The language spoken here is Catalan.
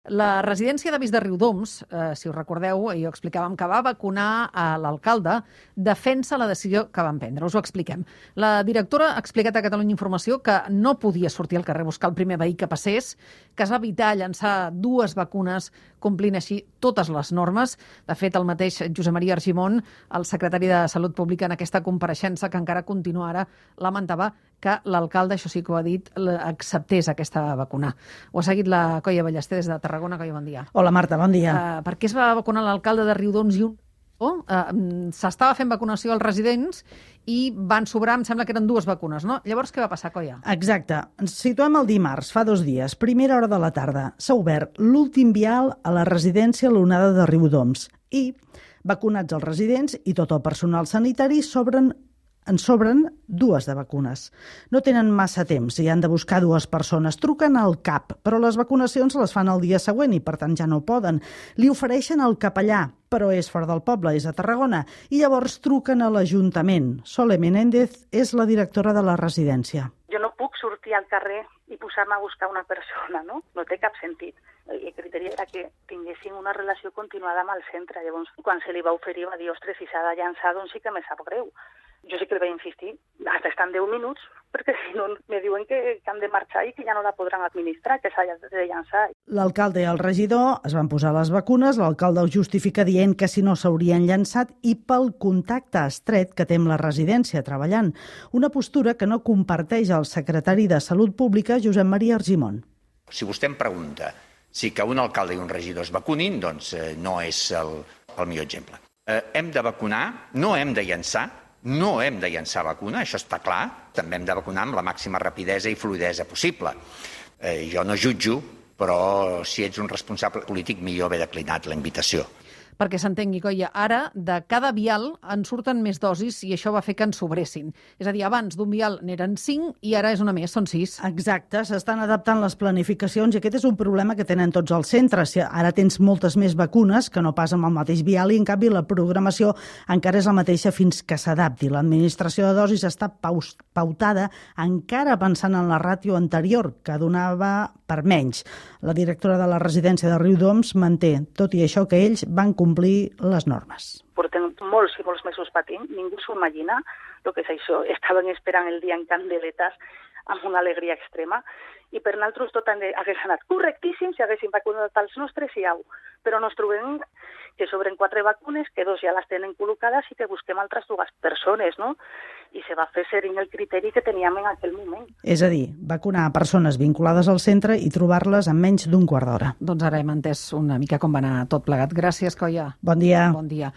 La residència d'avis de Riudoms, si us recordeu, i ho explicàvem, que va vacunar a l'alcalde, defensa la decisió que van prendre. Us ho expliquem. La directora ha explicat a Catalunya Informació que no podia sortir al carrer a buscar el primer veí que passés, que es va evitar llançar 2 vacunes complint així totes les normes. De fet, el mateix Josep Maria Argimon, el secretari de Salut Pública, en aquesta compareixença que encara continua ara, lamentava que l'alcalde, això sí que ho ha dit, acceptés aquesta vacuna. Ho ha seguit la Coia Ballester des de Tarragona. Coia, bon dia. Hola, Marta, bon dia. Per què es va vacunar l'alcalde de Riudoms i un... s'estava fent vacunació als residents i van sobrar, em sembla que eren 2 vacunes, no? Llavors, què va passar, Coia? Exacte. Ens situem el dimarts, fa 2 dies, primera hora de la tarda. S'ha obert l'últim vial a la residència L'Onada de Riudoms i, vacunats els residents i tot el personal sanitari, en sobren 2 de vacunes. No tenen massa temps i han de buscar 2 persones. Truquen al CAP, però les vacunacions les fan el dia següent i, per tant, ja no poden. Li ofereixen el capellà, però és fora del poble, és a Tarragona, i llavors truquen a l'Ajuntament. Sole Menéndez és la directora de la residència. Jo no puc sortir al carrer i posar-me a buscar una persona, no? No té cap sentit. El criteri era que tinguessin una relació continuada amb el centre. Llavors, quan se li va oferir, va dir, ostres, si s'ha de llançar, doncs sí que me sap greu. Jo sí que li vaig insistir, hasta estan 10 minuts, perquè si no me diuen que han de marxar i que ja no la podran administrar, que s'ha de llançar. L'alcalde i el regidor es van posar les vacunes, l'alcalde ho justifica dient que si no s'haurien llançat i pel contacte estret que té amb la residència treballant. Una postura que no comparteix el secretari de Salut Pública, Josep Maria Argimon. Si vostè em pregunta si que un alcalde i un regidor es vacunin, doncs no és el millor exemple. Hem de vacunar, no hem de llançar, no hem de llançar vacuna, això està clar. També hem de vacunar amb la màxima rapidesa i fluidesa possible. Jo no jutjo, però si ets un responsable polític, millor haver declinat la invitació. Perquè s'entengui, Coia, ara de cada vial en surten més dosis i això va fer que en sobressin. És a dir, abans d'un vial n'eren 5 i ara és una més, són 6. Exacte, s'estan adaptant les planificacions i aquest és un problema que tenen tots els centres. Ara tens moltes més vacunes que no pas amb el mateix vial i, en canvi, la programació encara és la mateixa fins que s'adapti. L'administració de dosis està pautada encara pensant en la ràtio anterior, que donava per menys. La directora de la residència de Riudoms manté, tot i això, que ells van complir les normes. Portem molts i molts mesos patint, ningú s'ho imagina el que és això. Estaven esperant el dia en candeletes amb una alegria extrema i per nosaltres tot hagués anat correctíssim si haguessin vacunat els nostres i au. Però ens trobem que sobren 4 vacunes, que 2 ja les tenen col·locades i que busquem altres 2 persones, no? I se va fer seguint el criteri que teníem en aquell moment. És a dir, vacunar persones vinculades al centre i trobar-les en menys d'1 quart d'hora. Doncs ara hem entès una mica com va anar tot plegat. Gràcies, Coia. Bon dia. Bon dia.